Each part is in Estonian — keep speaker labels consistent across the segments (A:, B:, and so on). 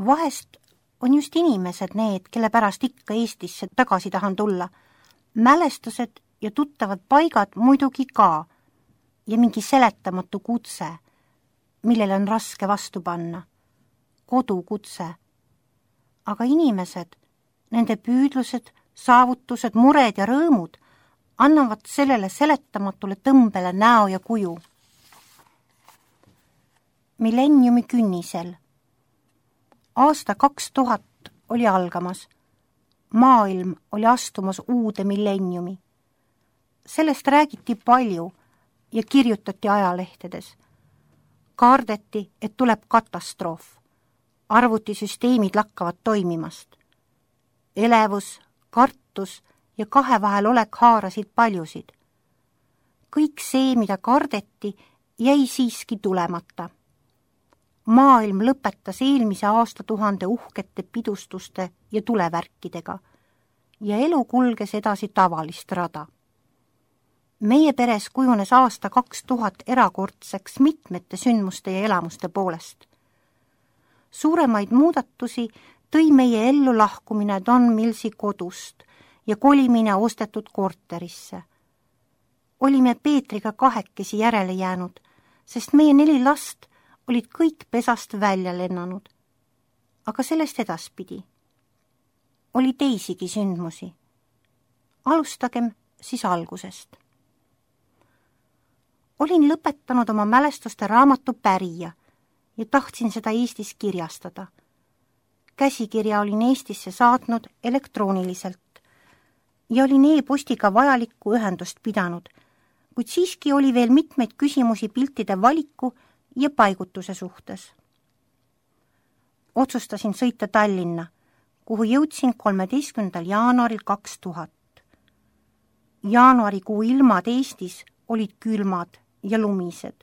A: Vahest on just inimesed need, kelle pärast ikka Eestisse tagasi tahan tulla. Mälestused ja tuttavad paigad muidugi ka ja mingi seletamatu kutse, millele on raske vastu panna. Kodukutse. Aga inimesed, nende püüdlused, saavutused, mured ja rõõmud annavad sellele seletamatule tõmbele näo ja kuju. Millenniumi künnisel. Aasta 2000 oli algamas. Maailm oli astumas uude millenniumi. Sellest räägiti palju ja kirjutati ajalehtedes. Kardeti, et tuleb katastroof. Arvutisüsteemid lakkavad toimimast. Elevus, kartus ja kahe vahel olek haarasid paljusid. Kõik see, mida kardeti, jäi siiski tulemata. Maailm lõpetas eelmise aastatuhande uhkete pidustuste ja tulevärkidega ja elu kulges edasi tavalist rada. Meie peres kujunes aasta 2000 erakordseks mitmete sündmuste ja elamuste poolest. Suuremaid muudatusi tõi meie ellu lahkumine Don Millsi kodust ja kolimine ostetud korterisse. Olime Peetriga kahekesi järele jäänud, sest meie 4 last olid kõik pesast välja lennanud. Aga sellest edaspidi. Oli teisigi sündmusi. Alustagem siis algusest. Olin lõpetanud oma mälestuste raamatu Pärija ja tahtsin seda Eestis kirjastada. Käsikirja olin Eestisse saatnud elektrooniliselt ja olin e-postiga vajalikku ühendust pidanud, kuid siiski oli veel mitmeid küsimusi piltide valiku ja paigutuse suhtes. Otsustasin sõita Tallinna, kuhu jõudsin 13. jaanuaril 2000. Jaanuarikuu ilmad Eestis olid külmad ja lumised,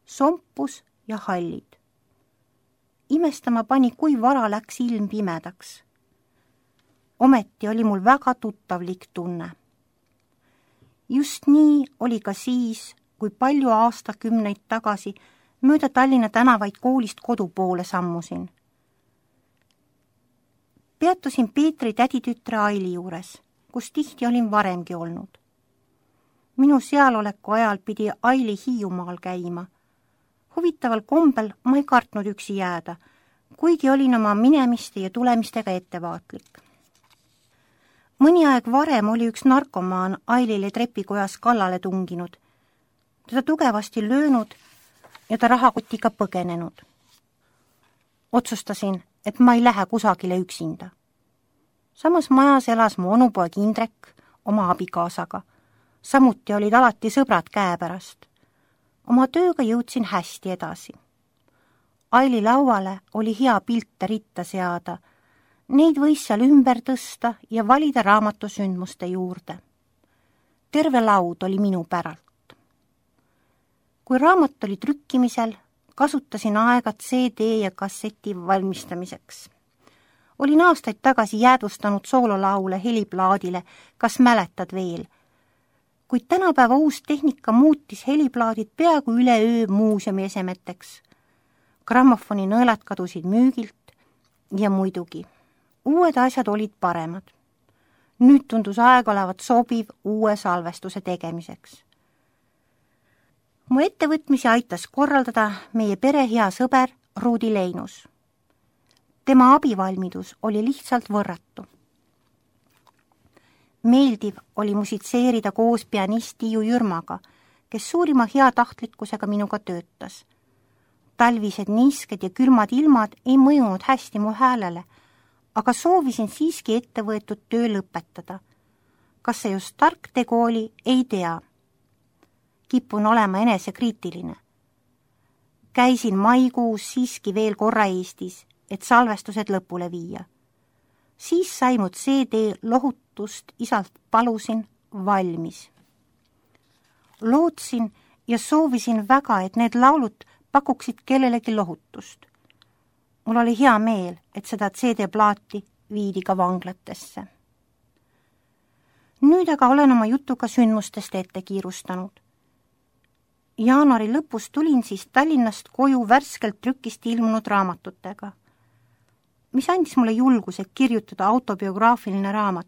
A: sompus ja hallid. Imestama pani, kui vara läks ilm pimedaks. Ometi oli mul väga tuttavlik tunne. Just nii oli ka siis, kui palju aastakümneid tagasi mööda Tallinna tänavaid koolist kodu poole sammusin. Peatusin Peetri täditütre Aili juures, kus tihti olin varemgi olnud. Minu sealoleku ajal pidi Aili Hiiumaal käima. Huvitaval kombel ma ei kartnud üksi jääda, kuigi olin oma minemiste ja tulemistega ettevaatlik. Mõni aeg varem oli üks narkomaan Ailile trepikojas kallale tunginud, teda tugevasti löönud ja ta rahakotiga põgenenud. Otsustasin, et ma ei lähe kusagile üksinda. Samas majas elas mu onupoeg Indrek oma abikaasaga. Samuti olid alati sõbrad käepärast. Oma tööga jõudsin hästi edasi. Aili lauale oli hea pilte ritta seada. Neid võis seal ümber tõsta ja valida raamatusündmuste juurde. Terve laud oli minu päralt. Kui raamat oli trükkimisel, kasutasin aega CD ja kasseti valmistamiseks. Olin aastaid tagasi jäädvustanud soololaule heliplaadile, kas mäletad veel? Kuid tänapäeva uus tehnika muutis heliplaadid peaaegu üleöö muuseumi esemeteks. Grammofoni nõelad kadusid müügilt ja muidugi. Uued asjad olid paremad. Nüüd tundus aeg olevat sobiv uue salvestuse tegemiseks. Mu ettevõtmisi aitas korraldada meie pere hea sõber Ruudi Leinus. Tema abivalmidus oli lihtsalt võrratu. Meeldiv oli musitseerida koos pianist Tiiu Jürmaga, kes suurima heatahtlikkusega minuga töötas. Talvised niisked ja külmad ilmad ei mõjunud hästi mu häälele, aga soovisin siiski ettevõetud töö lõpetada. Kas see just tark tegu oli, ei tea. Kipun olema enesekriitiline. Käisin maikuus siiski veel korra Eestis, et salvestused lõpule viia. Siis sai mu CD lohutust isalt palusin valmis. Lootsin ja soovisin väga, et need laulud pakuksid kellelegi lohutust. Mul oli hea meel, et seda CD-plaati viidi ka vanglatesse. Nüüd aga olen oma jutuga sündmustest ette kiirustanud. Jaanuari lõpus tulin siis Tallinnast koju värskelt trükist ilmunud raamatutega. mis andis mulle julguse kirjutada autobiograafiline raamat.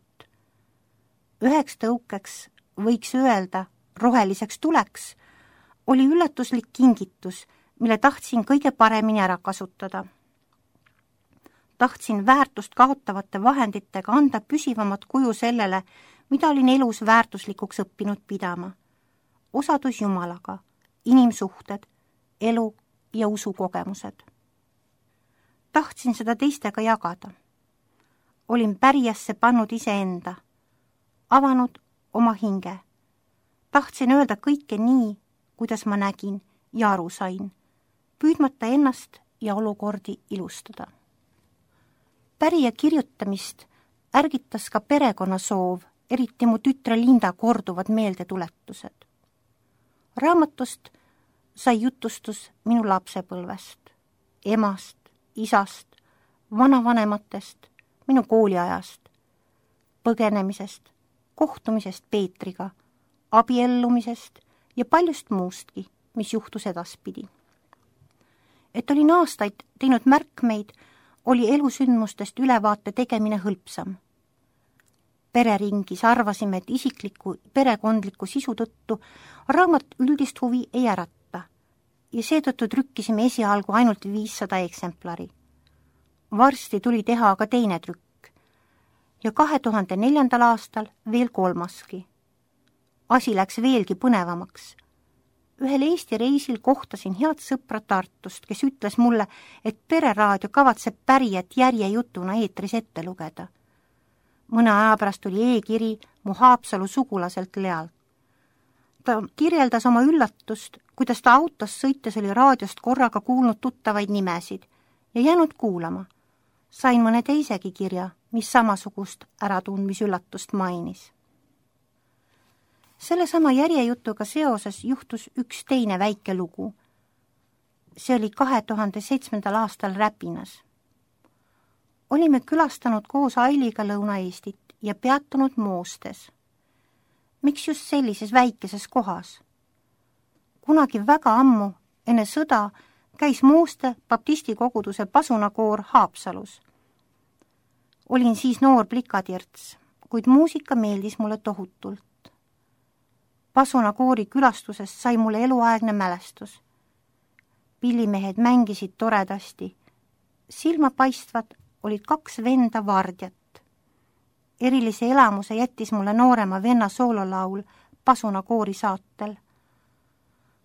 A: Üheks tõukeks, võiks öelda, roheliseks tuleks, oli üllatuslik kingitus, mille tahtsin kõige paremini ära kasutada. Tahtsin väärtust kaotavate vahenditega anda püsivamat kuju sellele, mida olin elus väärtuslikuks õppinud pidama. Osadus Jumalaga, inimsuhted, elu ja usukogemused. Tahtsin seda teistega jagada. Olin pärijasse pannud iseenda, avanud oma hinge. Tahtsin öelda kõike nii, kuidas ma nägin ja aru sain, püüdmata ennast ja olukordi ilustada. Pärija kirjutamist ärgitas ka perekonna soov, eriti mu tütre Linda korduvad meeldetuletused. Raamatust sai jutustus minu lapsepõlvest, emast, isast, vanavanematest, minu kooliajast, põgenemisest, kohtumisest Peetriga, abiellumisest ja paljust muustki, mis juhtus edaspidi. Et olin aastaid teinud märkmeid, oli elusündmustest ülevaate tegemine hõlpsam. Pereringis arvasime, et isikliku perekondliku sisu tõttu raamat üldist huvi ei ärata ja seetõttu trükkisime esialgu ainult 500 eksemplari. Varsti tuli teha aga teine trükk ja 2004. aastal veel kolmaski. Asi läks veelgi põnevamaks. Ühel Eesti reisil kohtasin head sõpra Tartust, kes ütles mulle, et Pereraadio kavatseb pärijat järjejutuna eetris ette lugeda. Mõne aja pärast tuli e-kiri mu Haapsalu sugulaselt Lealt. Ta kirjeldas oma üllatust, kuidas ta autos sõites oli raadiost korraga kuulnud tuttavaid nimesid ja jäänud kuulama. Sain mõne teisegi kirja, mis samasugust äratundmisüllatust mainis. Sellesama järjejutuga seoses juhtus üks teine väike lugu. See oli 2007. aastal Räpinas. Olime külastanud koos Ailiga Lõuna-Eestit ja peatunud Moostes. Miks just sellises väikeses kohas? Kunagi väga ammu, enne sõda, käis Mooste baptisti koguduse pasunakoor Haapsalus. Olin siis noor plikatirts, kuid muusika meeldis mulle tohutult. Pasunakoori külastusest sai mulle eluaegne mälestus. Pillimehed mängisid toredasti. Silmapaistvad olid 2 venda vardjat. Erilise elamuse jättis mulle noorema venna soololaul pasunakoori saatel.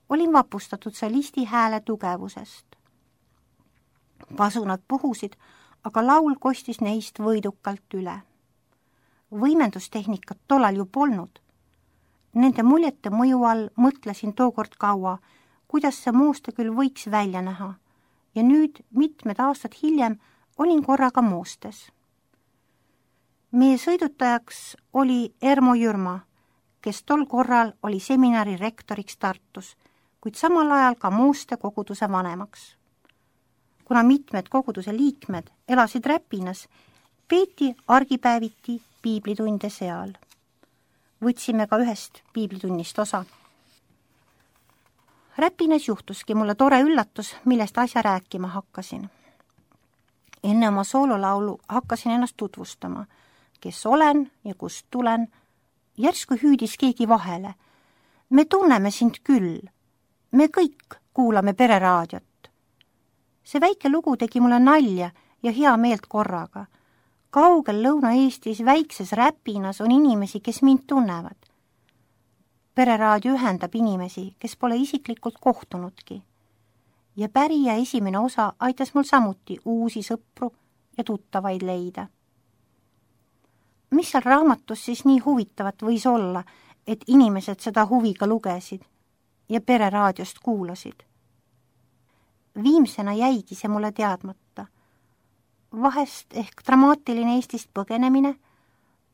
A: Olin vapustatud solisti hääle tugevusest. Pasunad puhusid, aga laul kostis neist võidukalt üle. Võimendustehnikat tollal ju polnud. Nende muljete mõju all mõtlesin tookord kaua, kuidas see Mooste küll võiks välja näha, ja nüüd mitmed aastad hiljem olin korraga Moostes. Meie sõidutajaks oli Ermo Jürma, kes tol korral oli seminari rektoriks Tartus, kuid samal ajal ka Mooste koguduse vanemaks. Kuna mitmed koguduse liikmed elasid Räpinas, peeti argipäeviti piiblitunde seal. Võtsime ka ühest piiblitunnist osa. Räpinas juhtuski mulle tore üllatus, millest asja rääkima hakkasin. Enne oma soololaulu hakkasin ennast tutvustama, kes olen ja kust tulen. Järsku hüüdis keegi vahele. Me tunneme sind küll. Me kõik kuulame Pereraadiot. See väike lugu tegi mulle nalja ja hea meelt korraga. Kaugel Lõuna-Eestis väikses Räpinas on inimesi, kes mind tunnevad. Pereraadio ühendab inimesi, kes pole isiklikult kohtunudki. Ja pärija esimene osa aitas mul samuti uusi sõpru ja tuttavaid leida. Mis seal raamatus siis nii huvitavat võis olla, et inimesed seda huviga lugesid ja Pereraadiost kuulasid? Viimsena jäigi see mulle teadmata. Vahest ehk dramaatiline Eestist põgenemine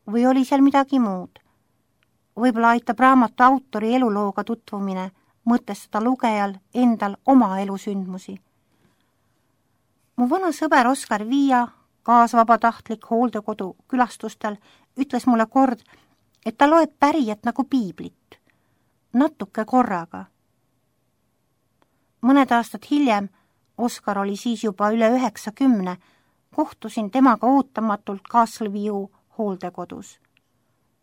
A: või oli seal midagi muud? Võib-olla aitab raamatu autori elulooga tutvumine mõtestada lugejal endal oma elusündmusi. Mu vana sõber Oskar Viia, kaasvabatahtlik hooldekodu külastustel, ütles mulle kord, et ta loeb pärijat nagu piiblit, natuke korraga. Mõned aastad hiljem, Oskar oli siis juba üle 90, kohtusin temaga ootamatult Castleview hooldekodus.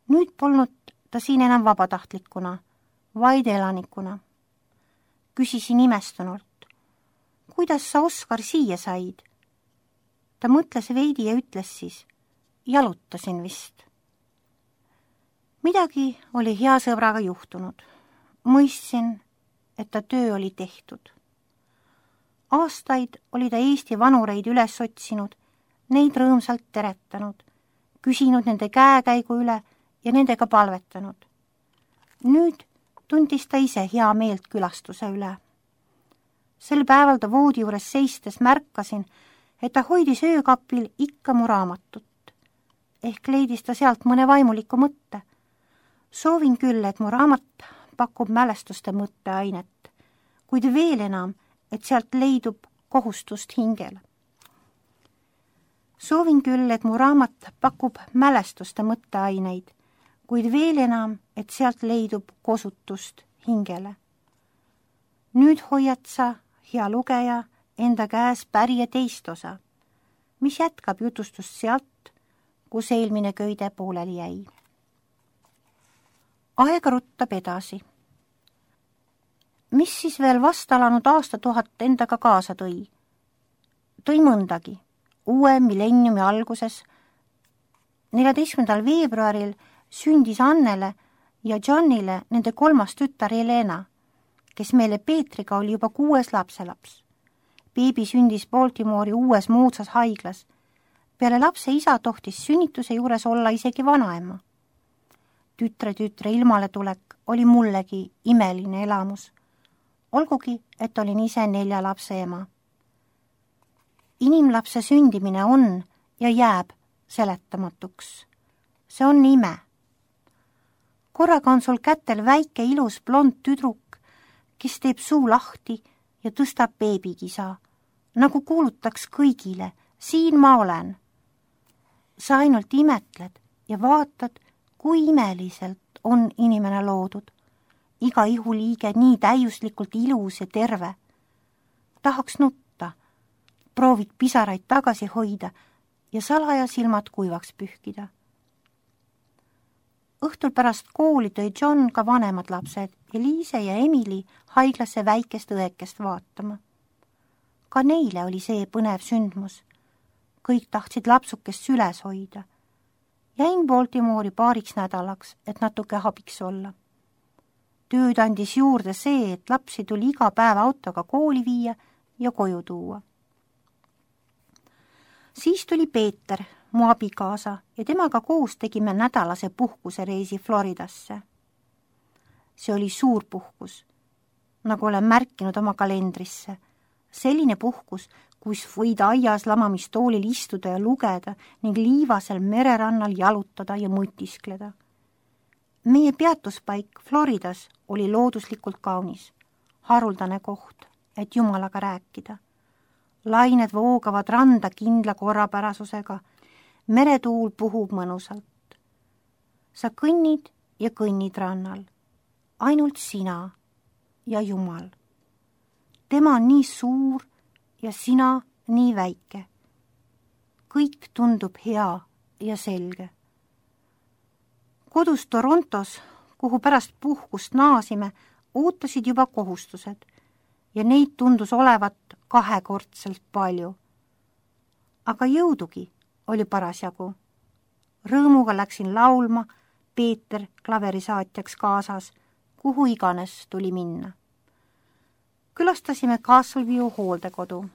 A: Nüüd polnud ta siin enam vabatahtlikuna, vaid elanikuna. Küsisin imestunult, kuidas sa, Oskar, siia said? Ta mõtles veidi ja ütles siis, jalutasin vist. Midagi oli hea sõbraga juhtunud. Mõistsin, et ta töö oli tehtud. Aastaid oli ta Eesti vanureid üles otsinud, neid rõõmsalt teretanud, küsinud nende käekäigu üle ja nendega palvetanud. Nüüd tundis ta ise hea meelt külastuse üle. Sel päeval ta voodi juures seistes märkasin, et ta hoidis öökapil ikka mu raamatut. Ehk leidis ta sealt mõne vaimuliku mõtte. Soovin küll, et mu raamat pakub mälestuste mõtteainet, kuid veel enam, et sealt leidub kohustust hingele. Soovin küll, et mu raamat pakub mälestuste mõtteaineid, kuid veel enam, et sealt leidub kosutust hingele. Nüüd hoiad sa, hea lugeja, enda käes pärje teist osa, mis jätkab jutustust sealt, kus eelmine köide pooleli jäi. Aega ruttab edasi. Mis siis veel vastalanud aastatuhat endaga kaasa tõi? Tõi mõndagi. Uue millenniumi alguses 14. veebruaril sündis Annele ja Johnile nende 3. tütar Helena, kes meile Peetriga oli juba 6. lapselaps. Beebi sündis Baltimore'i uues moodsas haiglas. Peale lapse isa tohtis sünnituse juures olla isegi vanaema. Tütre ilmale tulek oli mullegi imeline elamus. Olgugi, et olin ise 4 lapse ema. Inimlapse sündimine on ja jääb seletamatuks. See on ime. Korraga on sul kätel väike ilus blond tüdruk, kes teeb suu lahti ja tõstab beebikisa, nagu kuulutaks kõigile, siin ma olen. Sa ainult imetled ja vaatad, kui imeliselt on inimene loodud. Iga ihuliige nii täiuslikult ilus ja terve. Tahaks nutta, proovid pisaraid tagasi hoida ja salaja silmad kuivaks pühkida. Õhtul pärast kooli tõi John ka vanemad lapsed, Eliise ja Emily, haiglasse väikest õekest vaatama. Ka neile oli see põnev sündmus. Kõik tahtsid lapsukest süles hoida. Jäin Baltimore'i paariks nädalaks, et natuke abiks olla. Tööd andis juurde see, et lapsi tuli iga päev autoga kooli viia ja koju tuua. Siis tuli Peeter, mu abikaasa, ja temaga koos tegime nädalase puhkusereisi Floridasse. See oli suur puhkus, nagu olen märkinud oma kalendrisse. Selline puhkus, kus võid aias lamamistoolil istuda ja lugeda ning liivasel mererannal jalutada ja mutiskleda. Meie peatuspaik Floridas oli looduslikult kaunis, haruldane koht, et Jumalaga rääkida. Lained voogavad randa kindla korrapärasusega, meretuul puhub mõnusalt. Sa kõnnid ja kõnnid rannal, ainult sina ja Jumal. Tema on nii suur ja sina nii väike. Kõik tundub hea ja selge. Kodus Torontos, kuhu pärast puhkust naasime, ootasid juba kohustused ja neid tundus olevat 2-kordselt palju. Aga jõudugi oli parasjagu. Rõõmuga läksin laulma, Peeter klaverisaatjaks kaasas, kuhu iganes tuli minna. Külastasime Castleview hooldekodu,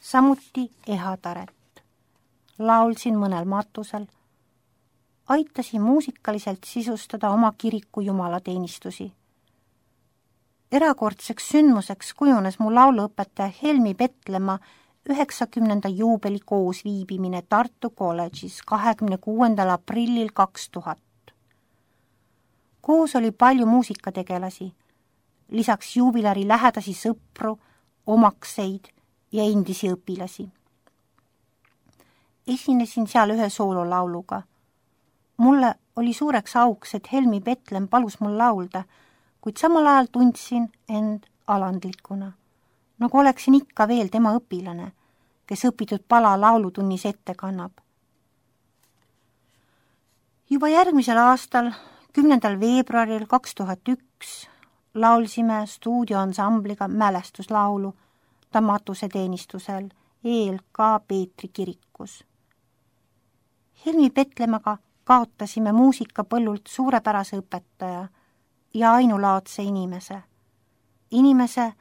A: samuti Ehataret. Laulsin mõnel matusel, aitasin muusikaliselt sisustada oma kiriku jumalateenistusi. Erakordseks sündmuseks kujunes mu lauluõpetaja Helmi Petlemma 90. juubeli koos viibimine Tartu kolledžis 26. aprillil 2000. Koos oli palju muusikategelasi, lisaks juubilari lähedasi sõpru, omakseid ja endisi õpilasi. Esinesin seal ühe soololauluga. Mulle oli suureks auks, et Helmi Petlem palus mul laulda, kuid samal ajal tundsin end alandlikuna, nagu oleksin ikka veel tema õpilane kes õpitud pala laulutunnis ette kannab. Juba järgmisel aastal, 10. veebruaril 2001 laulsime stuudioansambliga mälestuslaulu ta matuseteenistusel ELK Peetri kirikus. Helmi Petlemaga kaotasime muusikapõllult suurepärase õpetaja ja ainulaadse inimese. Inimese,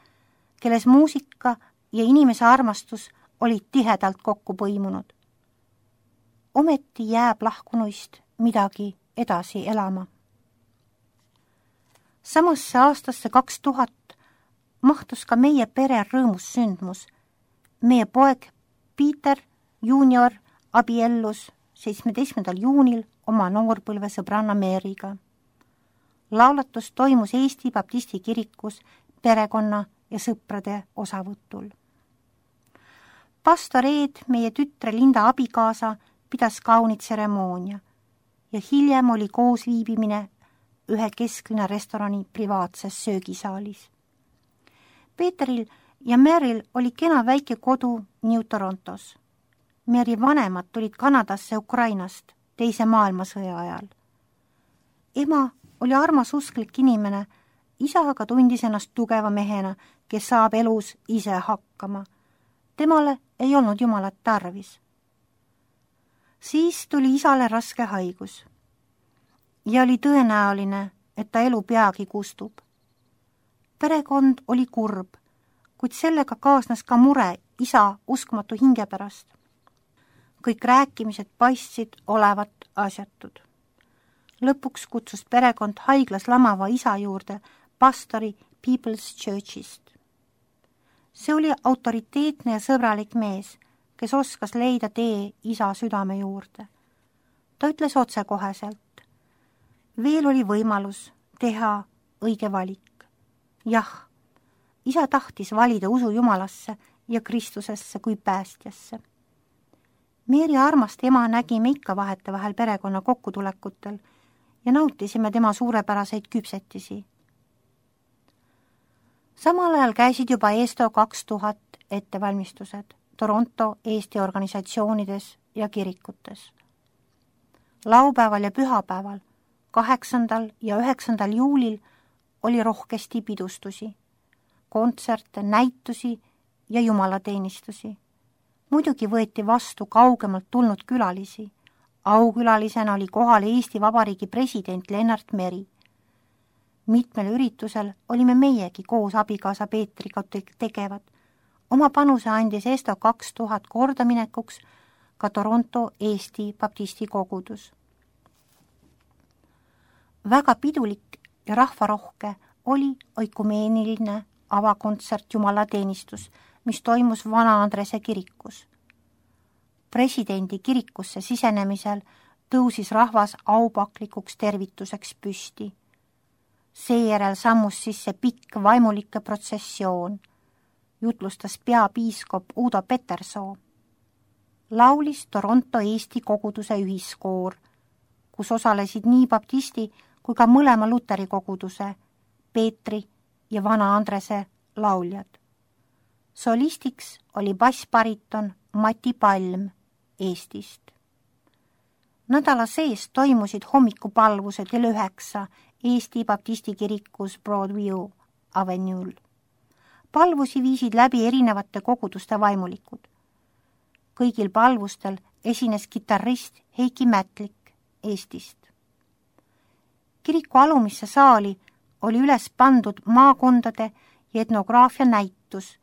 A: kelles muusika ja inimese armastus olid tihedalt kokku põimunud. Ometi jääb lahkunuist midagi edasi elama. Samasse aastasse 2000 mahtus ka meie pere rõõmus sündmus. Meie poeg Peter Junior abiellus 17. juunil oma noorpõlve sõbranna Meeriga. Laulatus toimus Eesti Baptisti kirikus perekonna ja sõprade osavõtul. Pastor Eed, meie tütre Linda abikaasa, pidas kaunit tseremoonia ja hiljem oli koos viibimine ühe kesklinna restorani privaatses söögisaalis. Peeteril ja Meril oli kena väike kodu New Torontos. Meri vanemad tulid Kanadasse Ukrainast teise maailmasõja ajal. Ema oli armas usklik inimene, isa aga tundis ennast tugeva mehena, kes saab elus ise hakkama. Temale ei olnud Jumalat tarvis. Siis tuli isale raske haigus ja oli tõenäoline, et ta elu peagi kustub. Perekond oli kurb, kuid sellega kaasnes ka mure isa uskmatu hinge pärast. Kõik rääkimised paistsid olevat asjatud. Lõpuks kutsus perekond haiglas lamava isa juurde pastori People's Churchist. See oli autoriteetne ja sõbralik mees, kes oskas leida tee isa südame juurde. Ta ütles otsekoheselt. Veel oli võimalus teha õige valik. Jah, isa tahtis valida usu Jumalasse ja Kristusesse kui päästjasse. Meeri armast ema nägime ikka vahetevahel perekonna kokkutulekutel ja nautisime tema suurepäraseid küpsetisi. Samal ajal käisid juba ESTO 2000 ettevalmistused Toronto Eesti organisatsioonides ja kirikutes. Laupäeval ja pühapäeval, 8. ja 9. juulil oli rohkesti pidustusi, kontserte, näitusi ja jumalateenistusi. Muidugi võeti vastu kaugemalt tulnud külalisi. Aukülalisena oli kohal Eesti Vabariigi president Lennart Meri. Mitmel üritusel olime meiegi koos abikaasa Peetriga tegevad. Oma panuse andis ESTO 2000 kordaminekuks ka Toronto Eesti Baptisti kogudus. Väga pidulik ja rahvarohke oli oikumeeniline avakontsert jumalateenistus, mis toimus Vana-Andrese kirikus. Presidendi kirikusse sisenemisel tõusis rahvas aupaklikuks tervituseks püsti. Seejärel sammus sisse pikk vaimulike protsessioon, jutlustas peapiiskop Udo Petersoo. Laulis Toronto Eesti koguduse ühiskoor, kus osalesid nii baptisti kui ka mõlema luteri koguduse, Peetri ja Vana-Andrese lauljad. Solistiks oli bassbariton Mati Palm Eestist. Nädala sees toimusid hommikupalvused kell 9 Eesti Baptisti kirikus Broadview Avenue'l. Palvusi viisid läbi erinevate koguduste vaimulikud. Kõigil palvustel esines kitarrist Heiki Mätlik Eestist. Kiriku alumisse saali oli üles pandud maakondade ja etnograafia näitus,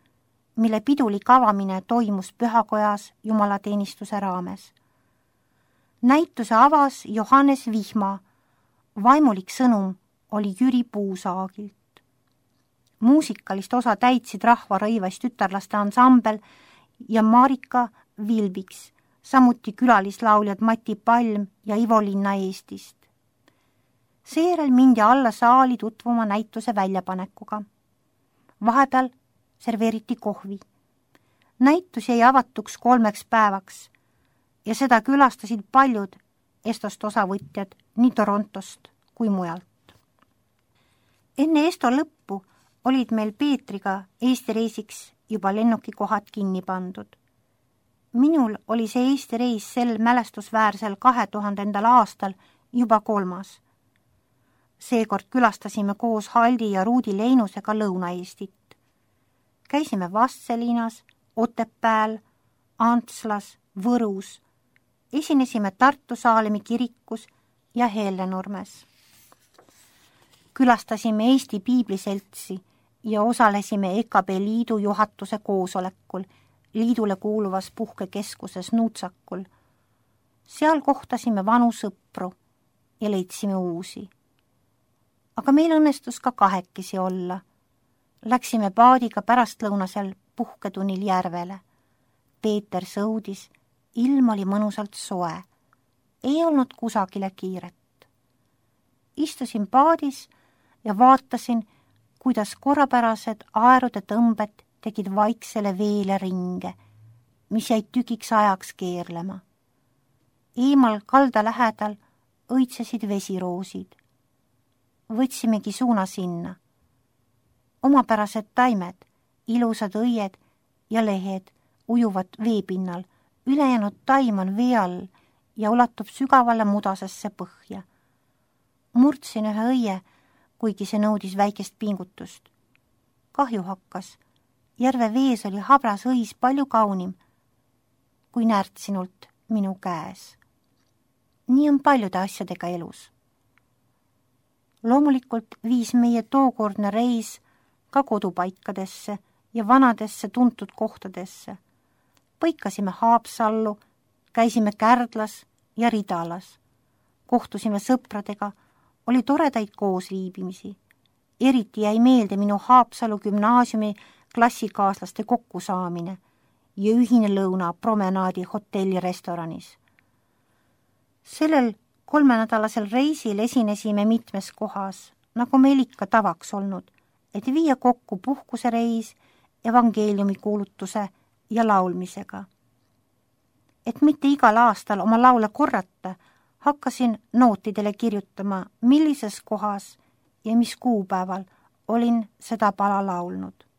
A: mille pidulik avamine toimus pühakojas jumalateenistuse raames. Näituse avas Johannes Vihma, vaimulik sõnum oli Jüri Puusaagilt. Muusikalist osa täitsid rahvarõivas tütarlaste ansambel ja Marika Vilbiks, samuti külalislauljad Mati Palm ja Ivo Linna Eestist. Seejärel mindi alla saali tutvuma näituse väljapanekuga. Vahepeal serveeriti kohvi. Näitus jäi avatuks 3 päevaks ja seda külastasid paljud ESTOst osavõtjad nii Torontost kui mujalt. Enne ESTO lõppu olid meil Peetriga Eesti reisiks juba lennukikohad kinni pandud. minul oli see Eesti reis sel mälestusväärsel 2000. aastal juba 3. Seekord külastasime koos Haldi ja Ruudi Leinusega Lõuna-Eestit. Käisime Vastseliinas, Otepääl, Antslas, Võrus, esinesime Tartu Saalemi kirikus ja Hellenurmes. Külastasime Eesti Piibliseltsi ja osalesime EKB liidu juhatuse koosolekul liidule kuuluvas puhkekeskuses Nuutsakul. Seal kohtasime vanu sõpru ja leidsime uusi. Aga meil õnnestus ka kahekesi olla. Läksime paadiga pärastlõunasel puhketunnil järvele. Peeter sõudis, ilm oli mõnusalt soe. Ei olnud kusagile kiiret. Istusin paadis ja vaatasin, kuidas korrapärased aerude tõmbed tegid vaiksele veele ringe, mis jäid tükiks ajaks keerlema. Eemal kalda lähedal õitsesid vesiroosid. Võtsimegi suuna sinna. Omapärased taimed, ilusad õied ja lehed ujuvad veepinnal, ülejäänud taim on vee all ja ulatub sügavale mudasesse põhja. Murdsin ühe õie, kuigi see nõudis väikest pingutust. Kahju hakkas. Järve vees oli habras õis palju kaunim kui närtsinult minu käes. Nii on paljude asjadega elus. Loomulikult viis meie tookordne reis ka kodupaikadesse ja vanadesse tuntud kohtadesse. Põikasime Haapsallu, käisime Kärdlas ja Ridalas. Kohtusime sõpradega, oli toredaid koosviibimisi. Eriti jäi meelde minu Haapsalu gümnaasiumi klassikaaslaste kokkusaamine ja ühine lõuna promenaadi hotelli restoranis. Sellel 3-nädalasel reisil esinesime mitmes kohas, nagu meil ikka tavaks olnud, et viia kokku puhkusereis, evangeeliumi kuulutuse ja laulmisega. Et mitte igal aastal oma laule korrata, hakkasin nootidele kirjutama, millises kohas ja mis kuupäeval olin seda pala laulnud.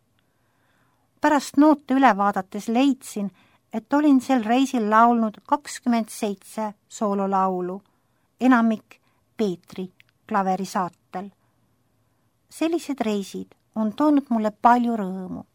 A: Pärast noote üle vaadates leidsin, et olin sel reisil laulnud 27 soololaulu, enamik Peetri klaverisaatel. Sellised reisid on toonud mulle palju rõõmu.